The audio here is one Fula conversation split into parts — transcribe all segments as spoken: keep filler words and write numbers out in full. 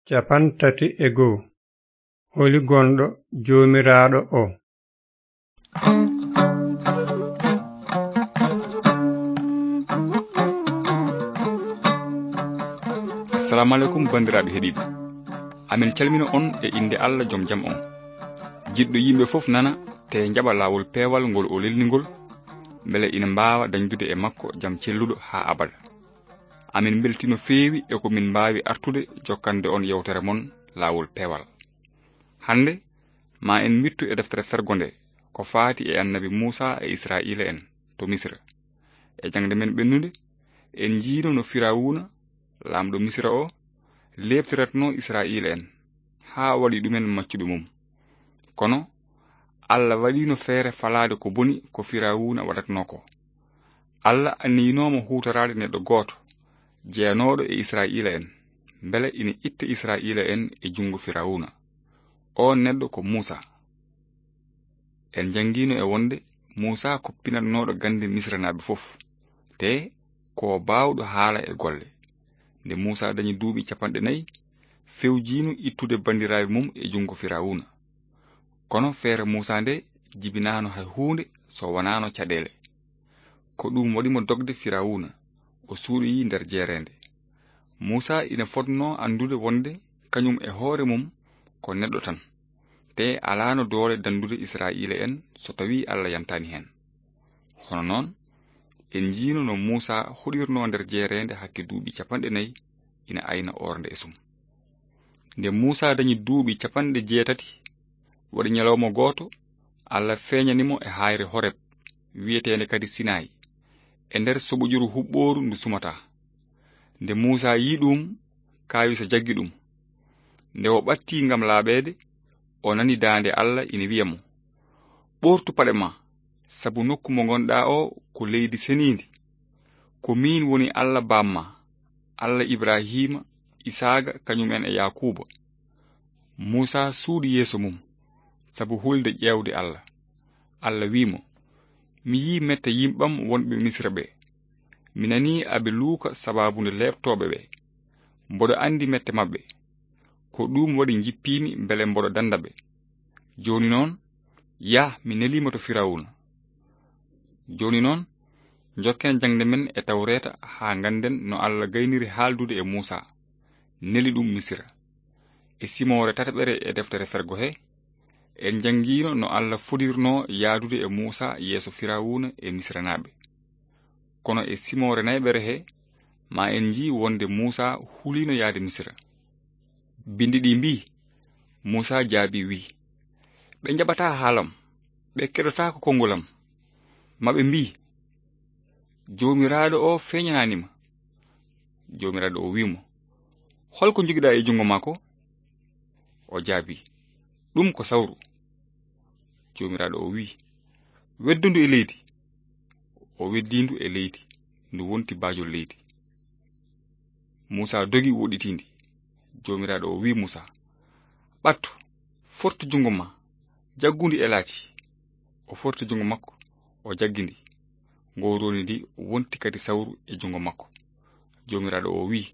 Cappanɗe tati e goo. Holi gonɗo Joomiraaɗo o? Assalamu aleykum, banndiraaɓe heɗiiɓe. Amin calmina on e innde Allah, jom jam on. Jiɗɗo yimɓe fof nana, te jaɓa laawol peewal ngol o lelni ngol, mbele ina mbaawa dañdude e makko jam celluɗo haa abada. Amin mbeltii no feewi e ko min mbaawi artude jokkande on yewtere mon laawol peewal. Hannde, ma en mbiɗtu e deftere fergo nde, ko faati e annabi Muusaa e Israa'iila en to Misira. E jaŋde men ɓennunde, en njiino no Firawuuna, laamɗo Misira o, leeptiratnoo Israa'iila en, haa waɗi ɗumen maccuɓe mum. Kono Allah waɗiino feere falaade ko boni ko Firawuuna waɗatnoo ko. Allah anniyinoo mo huutoraade neɗɗo gooto, jeyanooɗo e Israa'iila en, mbele ina itta Israa'iila en e junngo Firawuuna. Oon neɗɗo ko Muusaa. En njanngiino e wonde Muusaa ko pinatnooɗo gannde Misiranaaɓe fof, te ko o baawɗo haala e golle. Nde Muusaa dañi duuɓi cappanɗe nayi, fewjiino ittude banndiraaɓe mum e junngo Firawuuna. Kono feere Muusaa nde jibinaano hay huunde so wonaano caɗeele. Ko ɗum waɗi mo dogde Firawuuna, o suuɗoyii nder jeereende. Muusaa ina fotnoo anndude wonde kañum e hoore mum ko neɗɗo tan, te alaano doole danndude Israa'iila en so tawii Allah yantaani heen. Hono noon, en njiino no Muusaa hoɗirnoo nder jeereende hakke duuɓi cappanɗe nayi, ina ayna ornde e sum. Nde Muusaa dañi duuɓi cappanɗe jeetati, waɗi ñalawma gooto, Allah feeñani mo e haayre Horeb, wiyeteende kadi Sinayi, e nder soɓojuru huɓɓooru ndu sumataa. Nde Muusaa yii ɗum, kaawisa jaggi ɗum. Nde o ɓattii ngam laaɓeede, o nani daande Allah ina wiya mo, "Ɓoortu paɗe ma, sabu nokku mo ngonɗaa o ko leydi seniindi. Ko miin woni Allah baam ma, Allah Ibrahiima, Isaaqa, kañum en e Yaakuuba." Muusaa suuɗi yeeso mum, sabu hulde ƴeewde Allah. Allah wii mo, "Mi yii mette yimɓam wonɓe Misira ɓe. Mi nanii aɓe luuka sabaabu nde leeptooɓe ɓe. Mboɗo anndi mette maɓɓe. Ko ɗum waɗi njippiimi mbele mboɗo dannda ɓe. Jooni noon, yah, mi nelii ma to Firawuna." Jooni noon, njokken jaŋde men e Tawreeta haa ngannden no Allah gayniri haaldude e Muusaa, neli ɗum Misira. E simoore tataɓere e deftere Fergo he, en njanngiino no Allah fuɗirnoo yahdude e Muusaa yeeso Firawuna e Misiranaaɓe. Kono e simoore nayɓere he, ma en njii wonde Muusaa huliino yahde Misira. Binndi ɗi mbii, Muusaa jaabii, wii, "Ɓe njaɓataa haalam, ɓe keɗotaako konngol am. Ma ɓe mbii, 'Joomiraaɗo o feeñanaani ma.'" Joomiraaɗo o wii mo, "Hol ko njogiɗaa e junngo maa ko?" O jaabii, "Ɗum ko sawru." Joomiraaɗo o wii, "Weddu ndu e leydi." O weddii ndu e leydi, ndu wonti baajol leydi. Muusaa dogi woɗɗitii ndi. Joomiraaɗo o wii Muusaa, "Ɓattu, fortu junngo maa, jaggu ndi e laaci." O forti junngo makko, o jaggi ndi. Ngoroni ndi wonti kadi sawru e junngo makko. Joomiraaɗo o wii,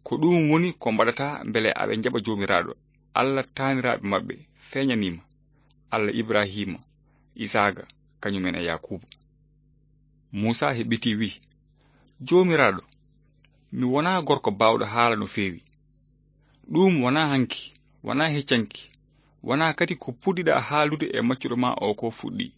"Ko ɗum woni ko mbaɗataa mbele aɓe njaɓa Joomiraaɗo, Allah taaniraaɓe maɓɓe feeñanii ma, Allah Ibrahiima, Isaaqa, kañum en e Yaakuuba." Muusaa heɓɓitii wii, "Joomiraaɗo, mi wonaa gorko baawɗo haala no feewi. Ɗum wonaa hanki, wonaa heccanki, wonaa kadi ko puɗɗiɗaa haaldude e maccuɗo maa o ko fuɗɗii.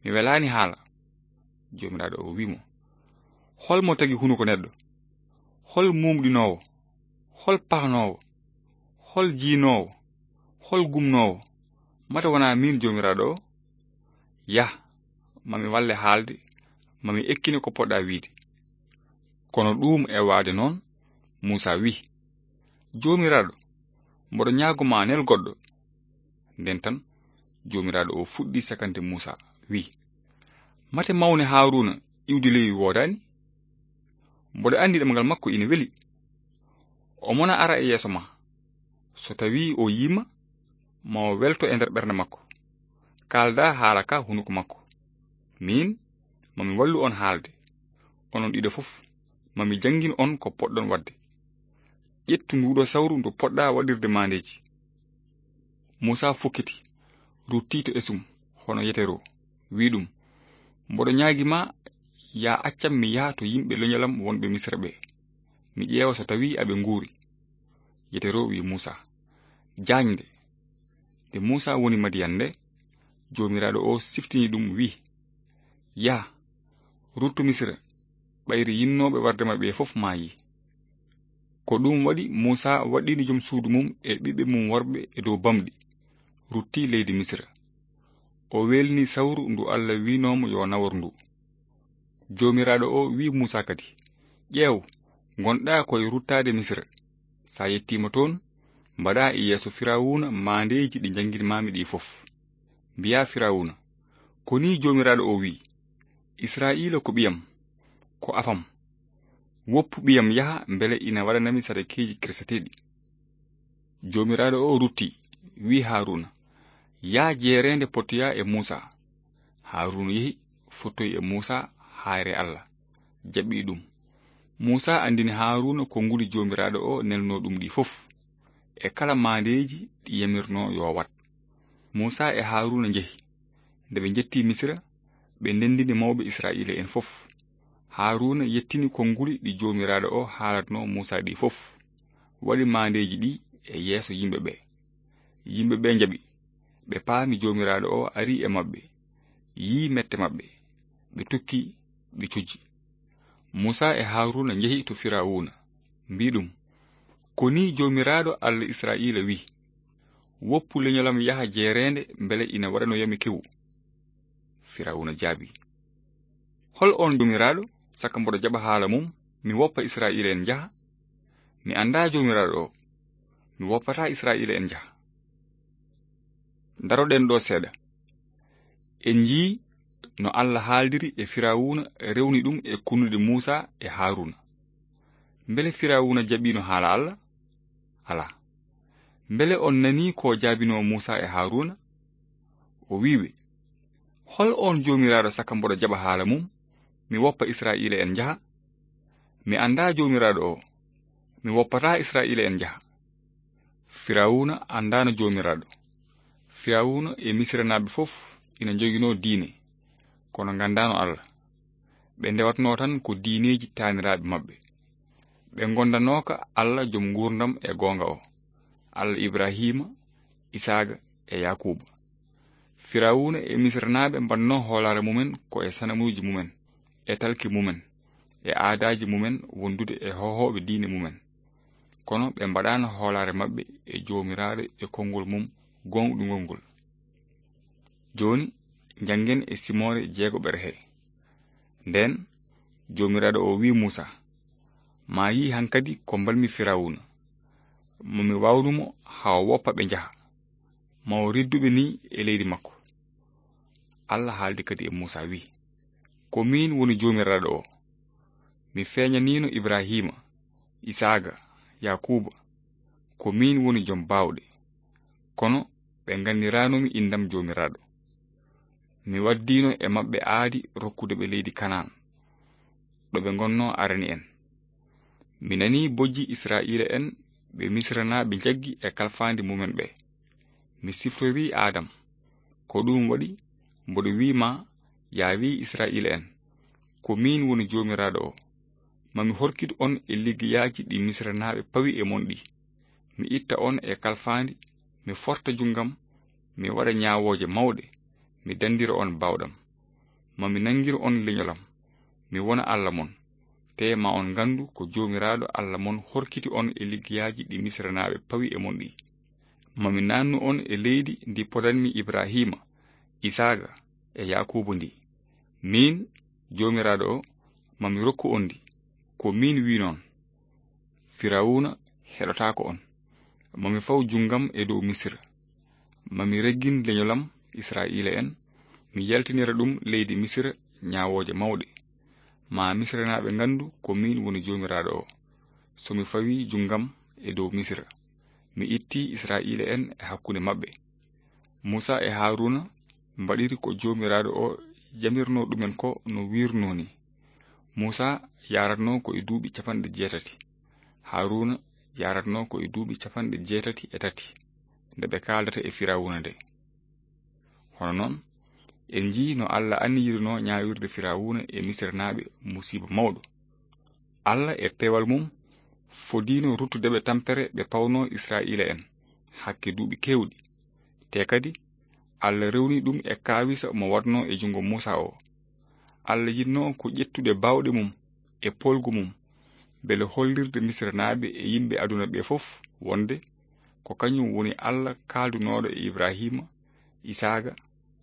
Mi welaani haala." Joomiraaɗo o wii mo, "Hol mo tagi hunuko neɗɗo? Hol mumɗinoowo? Hol pahnoowo? Hol jiinoowo? Hol gumnoowo? Mata wonaa miin Joomiraaɗo o? Yah, ma mi walle haalde, ma mi ekkine ko poɗɗaa wiide." Kono ɗuum e waade noon, Muusaa wii, "Joomiraaɗo, mboɗo ñaago ma, nel goɗɗo." Nden tan, Joomiraaɗo o fuɗɗi sakande Muusaa, wii, "Mate mawne Haaruuna iwdi leywi woodaani? Mboɗo anndi ɗemngal makko ina weli. O mona ara e yeeso ma. So tawii o yii ma, ma o welto e nder ɓernde makko. Kaaldaa haala ka hunuko makko. Miin, ma mi wallu on haalde. Onon ɗiɗo fof, ma mi janngin on ko poɗɗon waɗde." Ƴettu nduɗo sawru ndu poɗɗa waɗirde maandeeji. Muusa fukkiti, rutti to esum, hono Yetero, wi'i ɗum, mboɗo ñaagi ma, ya accam mi yaha to yimɓe leñolam wonɓe Misra ɓe, mi ƴeewa so tawi aɓe nguuri. Yetero wi'i Muusa, jaañde. Nde Muusa woni Madiyan nde, Joomiraaɗo o siftini ɗum, wi'i, yah, ruttu Misra, ɓayri yinnooɓe warde ma ɓe fof maayi. Ko ɗum waɗi Muusa waɗɗini jom suudu mum e ɓiɓɓe mum worɓe e dow bamɗi, rutti leydi Misra. O welni sawru ndu Allah wi'noomo yo nawor ndu. Joomiraaɗo o wi'i Muusa kadi, ƴeew, ngonɗa koye ruttaade Misra. Sa yettiima toon, mbaɗa e yeeso Firawuna maandeeji ɗi njannginmaami ɗi fof. Mbiya Firawuna, ko ni Joomiraaɗo o wi'i, Israa'iila ko ɓiyam, ko afam. Woppu ɓiyam yaha mbele ina waɗanami sadakeeji kirseteeɗi. Joomiraaɗo o rutti, wi'i Haaruuna, yah jeereende pottoya e Muusa. Haaruuna yehi, fottoyi e Muusa haayre Allah, jaɓɓi ɗum. Muusa anndini Haaruuna konguɗi Joomiraaɗo o nelnoo ɗum ɗi fof, e kala maandeeji ɗi yamirnoo yo waɗ. Muusa e Haaruuna njehi. Nde ɓe njetti Misra, ɓe ndenndini mawɓe Israa'iila'en fof. Haaruuna yettini konguɗi ɗi Joomiraaɗo o haalatnoo Muusa ɗi fof, waɗi maandeeji ɗi e yeeso yimɓe ɓe. Yimɓe ɓe njaɓi, ɓe paami Joomiraaɗo o arii e maɓɓe, yi'i mette maɓɓe, ɓe tokki, ɓe cujji. Muusa e Haaruuna njehi to Firawuna, mbi'i ɗum, ko ni Joomiraaɗo Allah Israa'iila wi'i, woppu leñolam yaha jeereende mbele ina waɗanoyami kewu. Firawuna jaabii, hol oon Joomiraaɗo, saka mboɗo jaɓa haala mum, mi woppa Israa'iila'en njaha? Mi anndaa Joomiraaɗo o, mi woppataa Israa'iila'en njaha. Ndaroɗen ɗo seeɗa. En njii no Allah haaldiri e Firawuna rewni ɗum e kunnuɗe Muusa e Haaruuna. Mbele Firawuna jaɓiino haala Allah? Alaa. Mbele on nanii ko jaabinoo Muusa e Haaruuna? O wi'i ɓe, hol oon Joomiraaɗo saka mboɗo jaɓa haala mum, mi woppa Israa'iila'en njaha? Mi anndaa Joomiraaɗo o, mi woppataa Israa'iila'en njaha. Firawuna anndaano Joomiraaɗo. Firawuna e Misiranaaɓe fof ina njoginoo diine, kono nganndaano Allah. Ɓe ndewatnoo tan ko diineeji taaniraaɓe maɓɓe. Ɓe ngondanooka Allah jom nguurndam e goonga o, Allah Ibrahiima, Isaaga e Yaakuuba. Firawuna e Misiranaaɓe mbaɗnoo hoolaare mumen ko e sanamuuji mumen, e talki mumen, e aadaaji mumen wondude e hohooɓe diine mumen. Kono ɓe mbaɗaano hoolaare maɓɓe e Joomiraaɗo e konngol mum goonɗungol ngol. Jooni, njanngen e simoore jeegoɓere he. Ndeen, Joomiraaɗo o wi'i Muusa, ma yii hankadi ko mbalmi Firawuna. Mo mi waawnu mo haa o woppa ɓe njaha. Ma o riddu ɓe ni e leydi makko. Allah haaldi kadi e Muusa, wi'i, ko miin woni Joomiraaɗo o. Mi feeñaniino Ibrahiima, Isaaga, Yaakuuba, ko miin woni jom baawɗe. Kono ɓe nganndiranomi inndam Joomiraaɗo. Mi waddiino e maɓɓe aadi rokkude ɓe leydi Kanaan, ɗo ɓe ngonnoo arani en. Mi nanii bojji Israa'iila'en ɓe Misiranaaɓe njaggi e kalfaandi mumen ɓe. Mi siftorii Aadam. Ko ɗum waɗi mboɗo wi'i ma, yaa wi'i Israa'iila'en, ko miin woni Joomiraaɗo o. Ma mi horkit on e liggeyaaji ɗi Misiranaaɓe pawi e mon ɗi. Mi itta on e kalfaandi, mi forta junngam, mi waɗa ñaawooje mawɗe, mi danndira on baawɗam. Ma mi nanngir on leñolam, mi wona Allah mon. Tee ma on nganndu ko Joomiraaɗo Allah mon horkiti on e liggeyaaji ɗi Misiranaaɓe pawi e mon ɗi. Ma mi naannu on e leydi ndi podanmi Ibrahiima, Isaaga e Yaakuuba ndi. Miin, Joomiraaɗo o, ma mi rokku on ndi. Ko miin wi' noon. Firawuna heɗotaako on. Ma mi faw junngam e dow Misira. Ma mi reggin leñolam Israa'iila'en, mi yaltinira ɗum leydi Misira ñaawooje mawɗe. Ma Misiranaaɓe nganndu ko miin woni Joomiraaɗo o. So mi fawii junngam e dow Misira, mi ittii Israa'iila'en e hakkunde maɓɓe. Muusa e Haaruuna mbaɗiri ko Joomiraaɗo o jamirnoo ɗumen ko no wiirnoo ni. Muusa yaaratnoo ko e duuɓi capanɗe jeetati. Haaruuna yaratnoo ko e duuɓi capanɗe jeetati e tati nde ɓe kaaldata e Firawuna nde. Hono noon, en njii no Alla anniyirnoo ñaawirde Firawuna e Misirnaaɓe musiiba mawɗo. Alla e peewal mum fodiino ruttude ɓe tampere ɓe pawnoo Israa'iila'en hakke duuɓi keewɗi. Te kadi, Alla rewni ɗum e kaawisa mo waɗnoo e junngo Muusaa o. Alla yiɗnoo ko ƴettude baawɗe mum e poolgu mum, mbele hollirde Misirnaaɓe e yimɓe aduna ɓe fof wonde ko kañum woni Alla kaaldunooɗo e Ibrahiima, Isaaqa,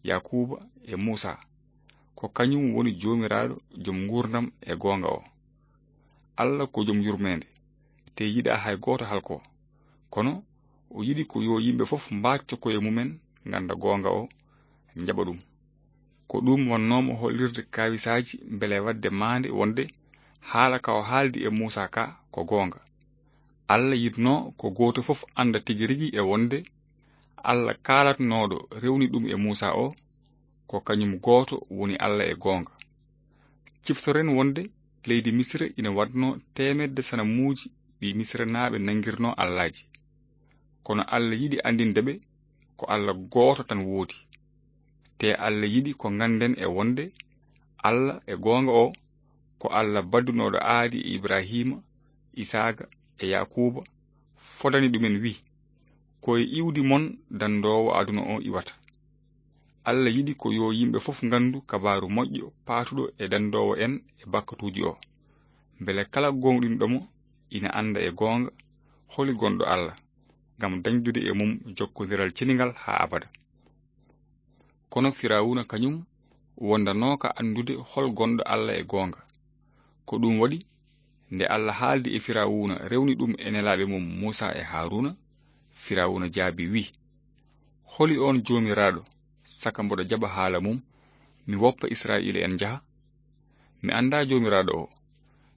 Yaakuuba e Muusaa. Ko kañum woni Joomiraaɗo, Jom nguurndam e goonga o. Alla ko Jom yurmeende, te yiɗaa hay gooto halkoo. Kono o yiɗi ko yo yimɓe fof mbaacco koye mumen, ngannda goonga o, njaɓa ɗum. Ko ɗum wonnoo mo hollirde kaawisaaji mbele waɗde maande wonde haala ka o haaldi e Muusaa ka ko goonga. Alla yiɗnoo ko gooto fof annda tigi rigi e wonde Alla kaalatnooɗo rewni ɗum e Muusaa o, ko kañum gooto woni Alla e goonga. Ciftoren wonde leydi Misira ina waɗnoo teemedde sanamuuji ɗi Misirnaaɓe nanngirnoo allaaji. Kono Alla yiɗi anndinde ɓe ko Alla gooto tan woodi. Te Alla yiɗi ko ngannden e wonde Alla e goonga o ko Alla baddunooɗo aadi e Ibrahiima, Isaaqa e Yaakuuba, fodani ɗumen wi, ko e iwdi mon danndoowo aduna o iwata. Alla yiɗi ko yo yimɓe fof nganndu kabaaru moƴƴo paatuɗo e danndoowo en e bakkatuuji o. Mbele kala gooŋɗinɗo mo ina annda e goonga holi gonɗo Alla, ngam dañdude e mum jokkondiral cenigal haa abada. Kono Firawuna kañum wondanooka anndude hol gonɗo Alla e goonga. Ko ɗum waɗi, nde Alla haaldi e Firawuna, rewni ɗum e nelaaɓe mum Muusaa e Haaruuna, Firawuna jaabi, wi, holi oon Joomiraaɗo, saka mboɗo jaɓa haala mum, mi woppa Israa'iila'en njaha? Mi anndaa Joomiraaɗo o,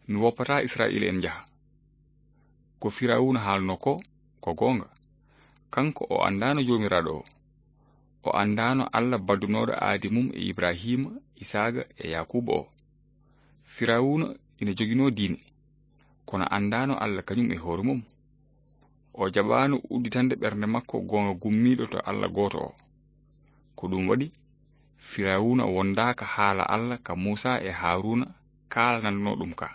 mi woppataa Israa'iila'en njaha. Ko Firawuna haalnoo ko, ko goonga. Kanko o anndaano Joomiraaɗo o. O anndaano Alla baddunooɗo aadi mum e Ibrahiima, Isaaqa e Yaakuuba o. Firawuna ina joginoo diine, kono anndaano Alla kañum e hoore mum. O jaɓaano udditande ɓernde makko goonga gummiiɗo to Alla gooto o. Ko ɗum waɗi, Firawuna wondaaka haala Alla ka Muusaa e Haaruuna kaalananoo ɗum ka.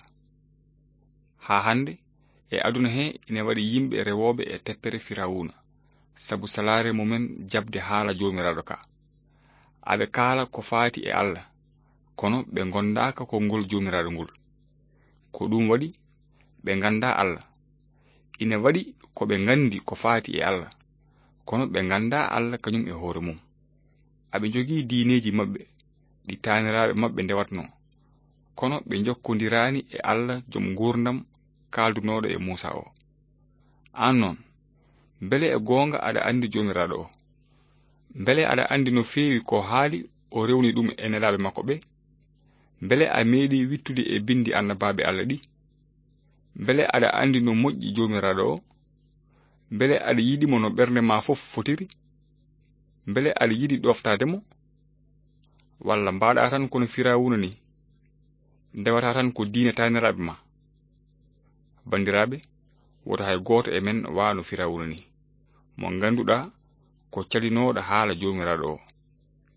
Haa hannde, e aduna he ina waɗi yimɓe rewooɓe e teppere Firawuna, sabu salaare mumen jaɓde haala Joomiraaɗo ka. Aɓe kaala ko faati e Alla, kono ɓe ngondaaka konngol Joomiraaɗo ngol. Ko ɗum waɗi, ɓe nganndaa Alla. Ina waɗi ko ɓe nganndi ko faati e Alla, kono ɓe nganndaa Alla kañum e hoore mum. Aɓe njogii diineeji maɓɓe, ɗi taaniraaɓe maɓɓe ndewatnoo, kono ɓe njokkondiraani e Alla Jom nguurndam kaaldunooɗo e Muusaa o. Aan noon, mbele e goonga aɗa anndi Joomiraaɗo o? Mbele aɗa anndi no feewi ko haali o rewni ɗum e nelaaɓe makko ɓe? Mbele a meeɗii wittude e binndi annabaaɓe Alla ɗi? Mbele aɗa anndi no moƴƴi Joomiraaɗo o? Mbele aɗa yiɗi mo no ɓernde ma fof fotiri? Mbele aɗa yiɗi ɗooftaade mo? Walla mbaɗa tan kono Firawuna ni, ndewata tan ko diine taaniraaɓe ma? Banndiraaɓe, woto hay gooto e men waano Firawuna ni, mo ngannduɗaa ko calinooɗo haala Joomiraaɗo o.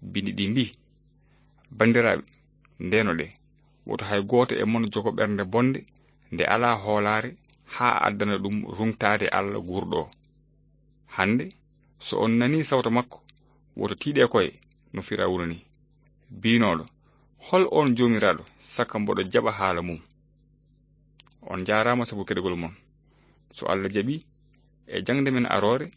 Binndi ɗi mbii, banndiraaɓe, ndeenoɗee, woto hay gooto e mon jogo ɓernde bonde nde alaa hoolaare haa addana ɗum ruŋtaade Alla guurɗo o. Hannde, so on nanii sawto makko, woto tiiɗe koye no Firawuna ni, biynooɗo, hol oon Joomiraaɗo, saka mboɗo jaɓa haala mum? On njaaraama sabu keɗogol mon. So Alla jaɓii, e jaŋde men aroore,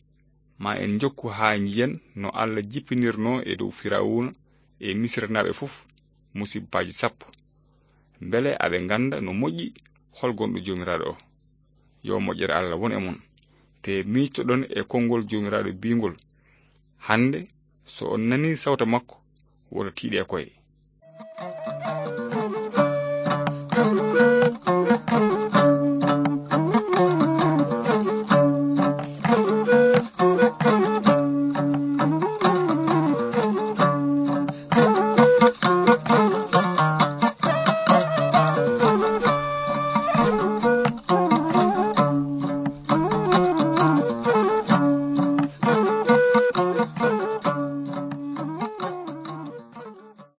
ma en njokku haa njiyen no Alla jippinirnoo e dow Firawuna e Misirnaaɓe fof musibbaaji sappo. Mbele aɓe ngannda no moƴƴi hol gonɗo Joomiraaɗo o. Yo moƴƴere Alla won e mon. Te miijtoɗon e konngol Joomiraaɗo biingol, hannde, so on nanii sawto makko, woto tiiɗe koye.